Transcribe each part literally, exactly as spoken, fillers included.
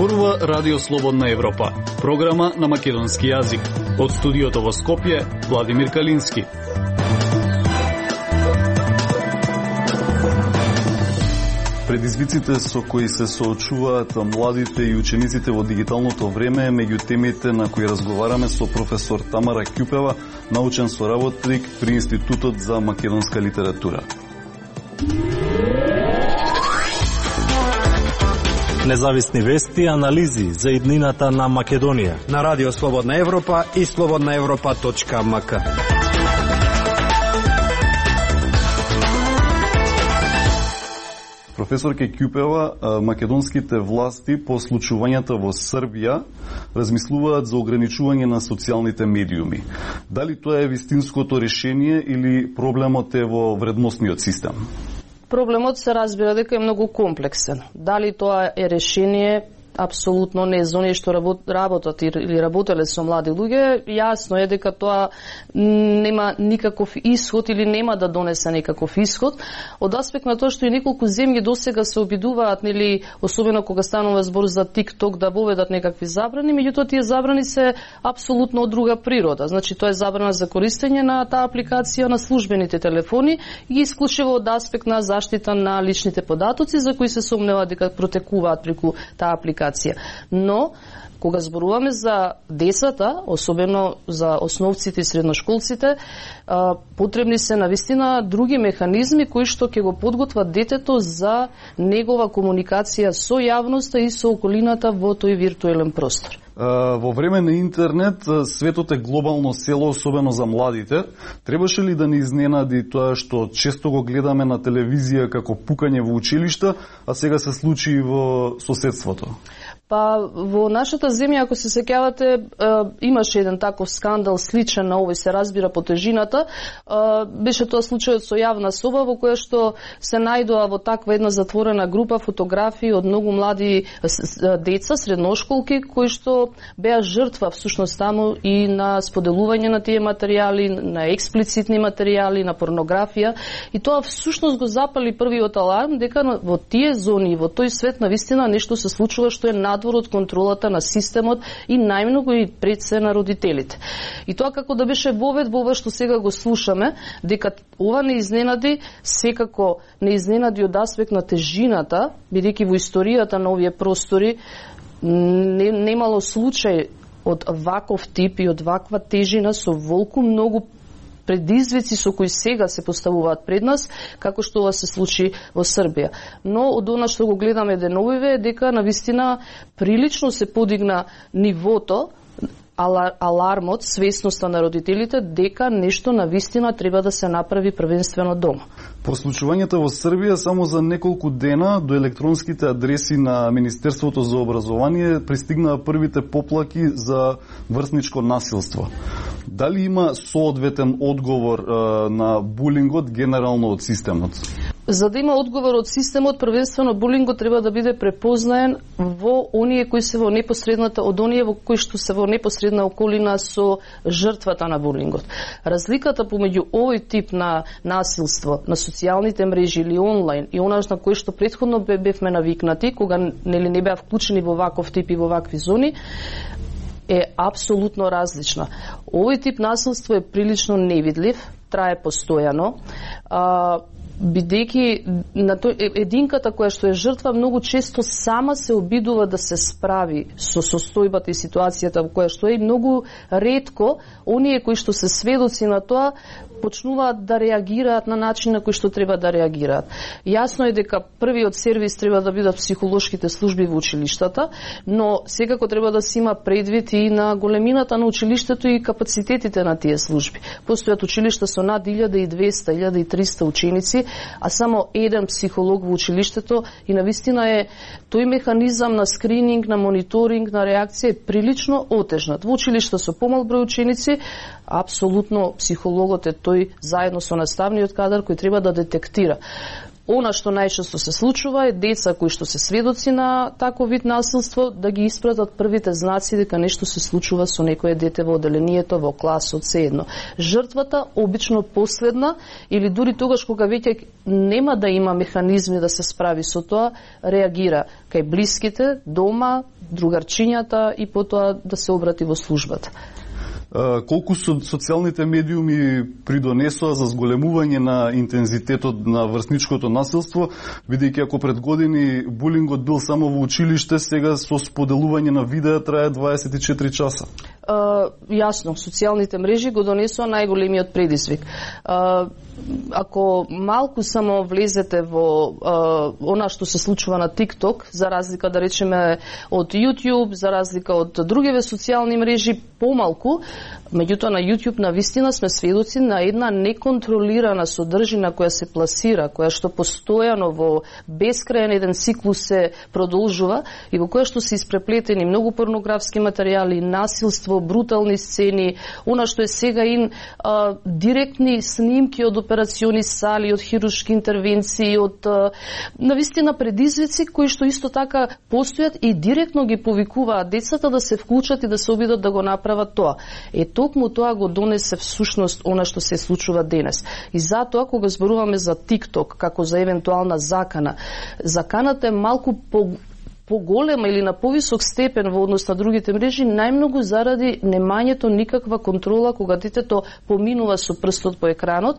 Зборува Радио Слободна Европа, програма на македонски јазик. Од студиото во Скопје, Владимир Калински. Предизвиците со кои се соочуваат младите и учениците во дигиталното време е меѓу темите на кои разговараме со професор Тамара Ќупева, научен соработник при Институтот за македонска литература. Независни вести и анализи за иднината на Македонија на Радио Слободна Европа и слободна европа точка ем ка. Професор Ќупева, македонските власти по случувањата во Србија размислуваат за ограничување на социјалните медиуми. Дали тоа е вистинското решение или проблемот е во вредносниот систем? Проблемот се разбира дека е многу комплексен. Дали тоа е решение, апсолутно не за оние што работат или работеле со млади луѓе, јасно е дека тоа нема никаков исход или нема да донесе никаков исход. Од аспект на тоа што и неколку земји досега се обидуваат, нели, особено кога станува збор за TikTok, да воведат некакви забрани, меѓутоа тие забрани се апсолутно од друга природа. Значи тоа е забрана за користење на таа апликација на службените телефони и исклучиво од аспект на заштита на личните податоци за кои се сомнeva дека протекуваат преку таа апликација. Но, кога зборуваме за децата, особено за основците и средношколците, потребни се навистина други механизми кои што ќе го подготват детето за негова комуникација со јавноста и со околината во тој виртуелен простор. Во време на интернет, светот е глобално село, особено за младите. Требаше ли да ни изненади тоа што често го гледаме на телевизија како пукање во училишта, а сега се случи и во соседството? Па, во нашата земја, ако се сеќавате, имаше еден таков скандал сличен на овој, се разбира по тежината. Беше тоа случајот со јавна соба во која што се најдоа во таква една затворена група фотографии од многу млади деца, средношколки, кои што беа жртва всушност таму и на споделување на тие материјали, на експлицитни материјали, на порнографија. И тоа всушност го запали првиот аларм дека во тие зони, во тој свет навистина нешто се случува што е надвор од контролата на системот и најмногу и пред се на родителите. И тоа како да беше вовед во ова што сега го слушаме, дека ова не изненади, секако не изненади од аспект на тежината, бидејќи во историјата на овие простори не, немало случај од ваков тип и од ваква тежина со волку многу предизвици со кои сега се поставуваат пред нас, како што ова се случи во Србија. Но од она што го гледаме деновиве е дека навистина прилично се подигна нивото, алармот, свесноста на родителите дека нешто навистина треба да се направи првенствено дома. По случувањата во Србија, само за неколку дена до електронските адреси на Министерството за образование пристигнаа првите поплаки за врсничко насилство. Дали има соодветен одговор е, на булингот генерално од системот? За да има одговор од системот, првенствено булингот треба да биде препознаен во оние кои се во непосредната, од оние во кои што се во непосредна околина со жртвата на булингот. Разликата помеѓу овој тип на насилство на социјалните мрежи или онлайн и онаш на кој што претходно бевме навикнати, кога нели не беа вклучени во ваков тип и во вакви зони, е апсолутно различна. Овој тип насилство е прилично невидлив, трае постојано, а, бидејќи на тој единката која што е жртва многу често сама се обидува да се справи со состојбата и ситуацијата во која што е, и многу ретко оние кои што се сведоци на тоа почнуваат да реагираат на начин на кој што треба да реагираат. Јасно е дека првиот сервис треба да бидат психолошките служби во училиштата, но секако треба да се има предвид и на големината на училиштето и капацитетите на тие служби. Постојат училишта со над илјада и двесте, илјада и триста ученици, а само еден психолог во училиштето и навистина е тој механизам на скрининг, на мониторинг, на реакција е прилично отежнат. Во училишта со помал број ученици, апсолутно психологот е тој заедно со наставниот кадар кој треба да детектира. Она што најчесто се случува е деца кои што се сведоци на таков вид насилство да ги испратат првите знаци дека нешто се случува со некое дете во оделението, во класот, се едно. Жртвата обично последна или дури тогаш кога веќе нема да има механизми да се справи со тоа, реагира кај блиските, дома, другарчињата и потоа да се обрати во службата. Колку социјалните медиуми придонесоа за зголемување на интензитетот на врсничкото насилство, бидејќи ако пред години булингот бил само во училиште, сега со споделување на видеа трае дваесет и четири часа? Uh, јасно, социјалните мрежи го донесоа најголемиот предизвик. Uh, ако малку само влезете во uh, она што се случува на TikTok, за разлика да речеме од YouTube, за разлика од другиве социјални мрежи, помалку, меѓутоа на YouTube навистина сме сведоци на една неконтролирана содржина која се пласира, која што постојано во бескрајен еден циклус се продолжува и во која што се испреплетени многу порнографски материјали, насилство, брутални сцени, она што е сега ин а, директни снимки од операциони сали, од хируршки интервенции, од а, навистина предизвици кои што исто така постојат и директно ги повикуваат децата да се вклучат и да се обидат да го направат тоа. Е, токму тоа го донесе всушност она што се случува денес. И затоа, кога зборуваме за TikTok како за евентуална закана, заканата е малку по поголема или на повисок степен во однос на другите мрежи, најмногу заради немањето никаква контрола кога детето поминува со прстот по екранот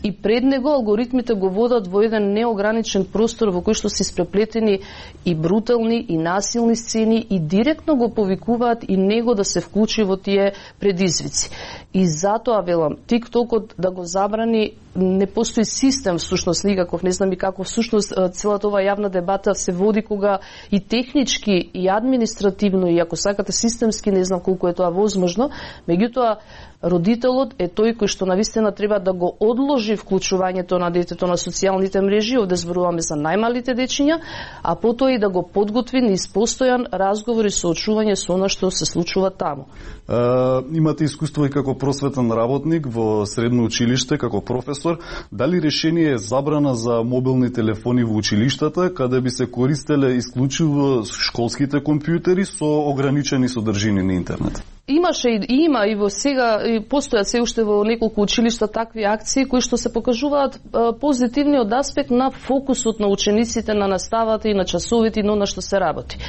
и пред него алгоритмите го водат во еден неограничен простор во кој што се испреплетени и брутални и насилни сцени и директно го повикуваат и него да се вклучи во тие предизвици. И затоа велам, TikTokот да го забрани, не постои систем всушност никаков, не знам и како всушност целата оваа јавна дебата се води кога и технички и административно и ако сакате системски, не знам колку е тоа возможно, меѓутоа родителот е тој кој што навистина треба да го одложи вклучувањето на детето на социјалните мрежи, овде зборуваме за најмалите дечиња, а потоа и да го подготви низ постојан разговор и соочување со она што се случува таму. А, имате искуство и како просветен работник во средно училиште, како професор. Дали решение е забрана за мобилни телефони во училиштата, каде би се користеле исклучиво школските компјутери со ограничени содржини на интернет? Имаше и има и во сега и постојат се уште во неколку училишта такви акции кои што се покажуваат позитивниот аспект на фокусот на учениците на наставата и на часовите и на она што се работи.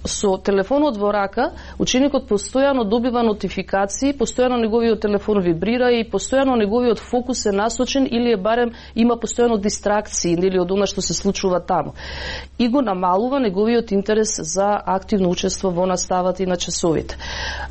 Со телефонот во рака ученикот постојано добива нотификации, постојано неговиот телефон вибрира и постојано неговиот фокус е насочен или е барем има постојано дистракции или од она што се случува таму. И го намалува неговиот интерес за активно учество во наставата и на часовите.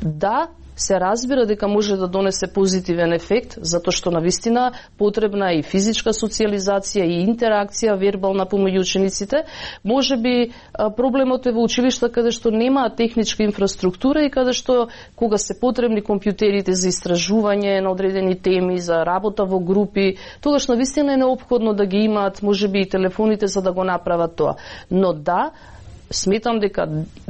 Да, се разбира дека може да донесе позитивен ефект, затоа што навистина потребна е и физичка социјализација и интеракција вербална помеѓу учениците. Може би проблемот е во училишта каде што нема техничка инфраструктура и каде што кога се потребни компјутерите за истражување на одредени теми, за работа во групи, тогаш навистина е неопходно да ги имаат можеби и телефоните за да го направат тоа. Но да, сметам дека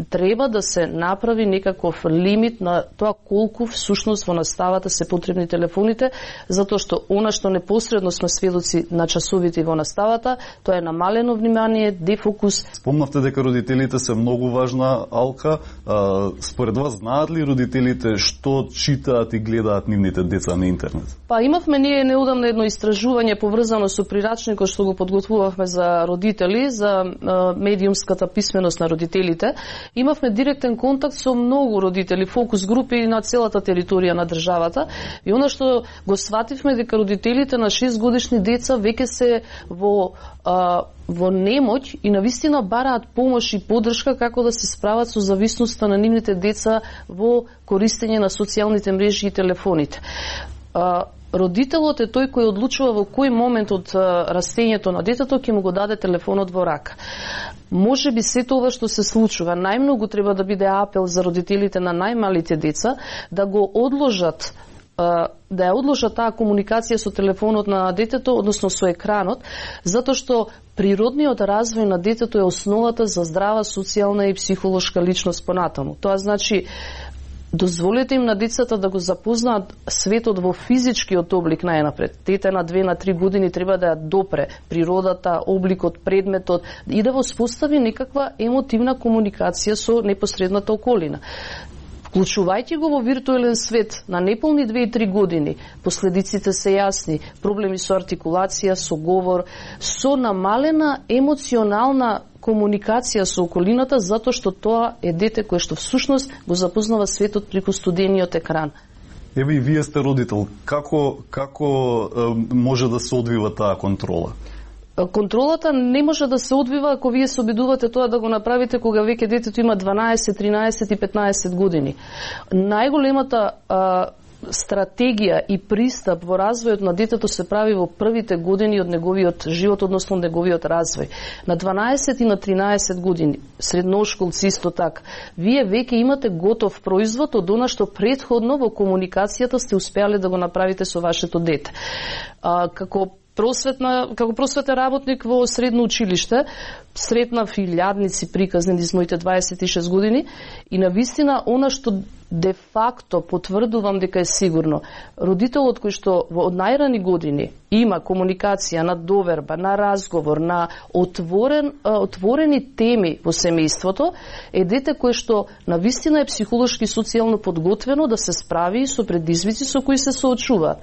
треба да се направи некаков лимит на тоа колку всушност во наставата се потребни телефоните, затоа што она што непосредно сме сведоци на часовите во наставата, тоа е намалено внимание, дефокус. Спомнавте дека родителите се многу важна алка. А, според вас знаат ли родителите што читаат и гледаат нивните деца на интернет? Па имавме ние неодамно едно истражување поврзано со прирачникот што го подготвувавме за родители, за а, медиумската писменост на родителите. Имавме директен контакт со многу родители, фокус групи на целата територија на државата. И она што го свативме дека родителите на шест годишни деца веќе се во а, во немоќ и навистина бараат помош и поддршка како да се справат со зависноста на нивните деца во користење на социјалните мрежи и телефоните. А, родителот е тој кој одлучува во кој момент од растењето на детето ќе му го даде телефонот во рака. Може би сето ова што се случува, најмногу треба да биде апел за родителите на најмалите деца да го одложат, да ја одложат таа комуникација со телефонот на детето, односно со екранот, затоа што природниот развој на детето е основата за здрава социјална и психолошка личност понатаму. Тоа значи дозволете им на децата да го запознаат светот во физичкиот облик најнапред. Дете на две на три години треба да ја допре природата, обликот, предметот и да воспостави некаква емотивна комуникација со непосредната околина. Вклучувајќи го во виртуелен свет на неполни две и три години, последиците се јасни, проблеми со артикулација, со говор, со намалена емоционална комуникација со околината, затоа што тоа е дете кое што всушност го запознава светот преку студениот екран. Еве и вие сте родител. Како како е, може да се одвива таа контрола? Контролата не може да се одвива ако вие се обидувате тоа да го направите кога веќе детето има дванаесет, тринаесет и петнаесет години. Најголемата а, стратегија и пристап во развојот на детето се прави во првите години од неговиот живот, односно неговиот развој. На дванаесет и на тринаесет години, средношколци исто така, вие веќе имате готов производ од она што претходно во комуникацијата сте успеале да го направите со вашето дете. А, како просветна, како просветен работник во средно училиште, сретнав илјадници приказни низ моите дваесет и шест години и на вистина она што де факто потврдувам дека е сигурно, родителот кој што од најрани години има комуникација на доверба, на разговор, на отворен, отворени теми во семејството, е дете кое што на вистина е психолошки и социјално подготвено да се справи со предизвици со кои се соочуваат.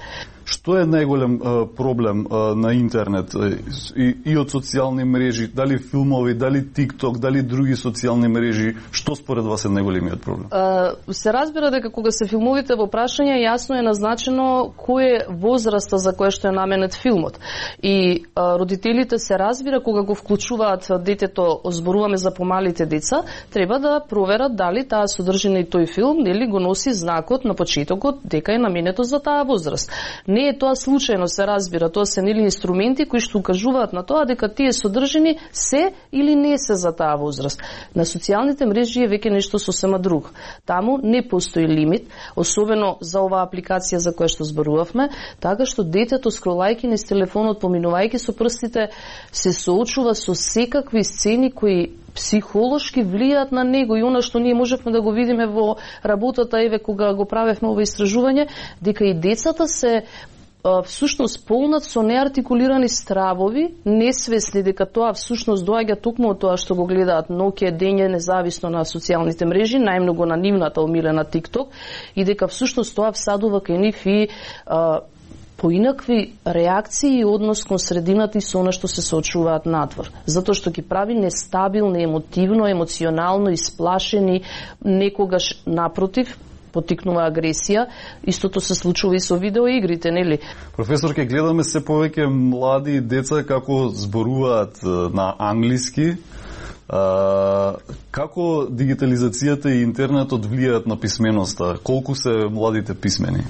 Што е најголем е, проблем е, на интернет е, и, и од социјални мрежи, дали филмови, дали TikTok, дали други социјални мрежи, што според вас е најголемиот проблем? Uh, се разбира дека кога се филмовите во прашање, јасно е назначено кој е возраста за која што е наменет филмот. И uh, родителите се разбира кога го вклучуваат детето, зборуваме за помалите деца, треба да проверат дали таа содржина и тој филм нели го носи знакот на почетокот дека е наменето за таа возраст. Не е тоа случајно, се разбира, тоа се нели инструменти кои што укажуваат на тоа дека тие содржини се или не се за таа возраст. На социјалните мрежи е веќе нешто сосема друго. Таму не постои лимит, особено за оваа апликација за која што зборувавме, така што детето скролајќи низ телефонот, поминувајќи со прстите, се соочува со секакви сцени кои психолошки влијаат на него и она што ние можевме да го видиме во работата, еве кога го правевме ова истражување, дека и децата се всушност полнат со неартикулирани стравови, несвесни дека тоа всушност доаѓа токму од тоа што го гледаат ноќе, дење, независно на социјалните мрежи, најмногу на нивната омилена TikTok, и дека всушност тоа всадува кај нив и а, поинакви реакции и однос кон средината и со она што се соочуваат надвор. Затоа што ги прави нестабилни, емотивно, емоционално, исплашени, некогаш напротив, потикнува агресија. Истото се случува и со видеоигрите, нели? Професор, ке гледаме се повеќе млади деца како зборуваат на англиски. А, како дигитализацијата и интернетот влијаат на писменоста? Колку се младите писмени?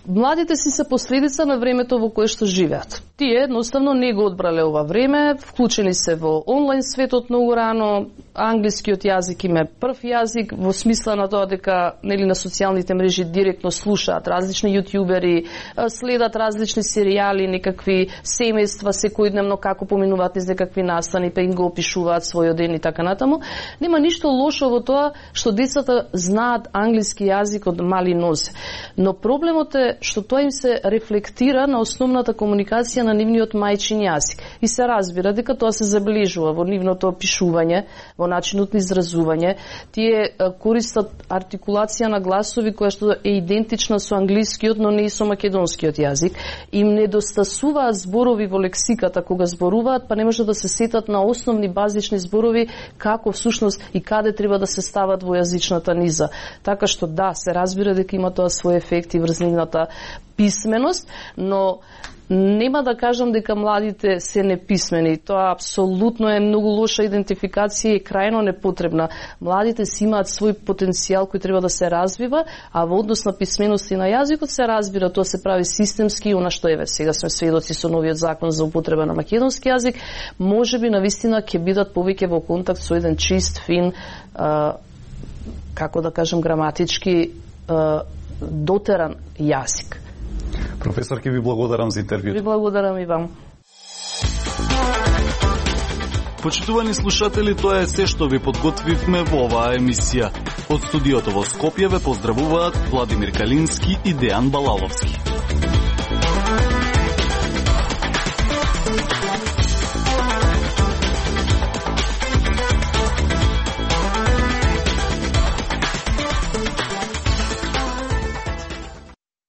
Младите си се последица на времето во кое што живеат. Тие едноставно не го одбрале ова време, вклучени се во онлайн светот многу рано, англискиот јазик им е прв јазик, во смисла на тоа дека нели на социјалните мрежи директно слушаат различни јутјубери, следат различни серијали, некакви семејства секојдневно како поминуваат низ некакви настани, па им го опишуваат својот ден и така натаму. Нема ништо лошо во тоа што децата знаат англиски јазик од мали нозе. Но проблемот е што тоа им се рефлектира на основната комуникација на нивниот мајчин јазик. И се разбира дека тоа се заближува во нивното пишување, во начинот на изразување. Тие користат артикулација на гласови која што е идентична со англискиот, но не и со македонскиот јазик. Им недостасуваат зборови во лексиката кога зборуваат, па не може да се сетат на основни базични зборови како всушност и каде треба да се стават во јазичната низа. Така што да, се разбира дека има тоа свој ефект и врз нивната писменост, но нема да кажам дека младите се неписмени. Тоа апсолутно е многу лоша идентификација и крајно непотребна. Младите си имаат свој потенцијал кој треба да се развива, а во однос на писменост и на јазикот се разбира, тоа се прави системски, она што еве сега сме сведоци со новиот закон за употреба на македонски јазик, можеби навистина ќе бидат повеќе во контакт со еден чист, фин, а, како да кажем граматички, а, дотеран јазик. Професор, ке ви благодарам за интервјуто. Ви благодарам и вам. Почитувани слушатели, тоа е се што ви подготвивме во оваа емисија. Од студиото во Скопје ве поздравуваат Владимир Калински и Дејан Балаловски.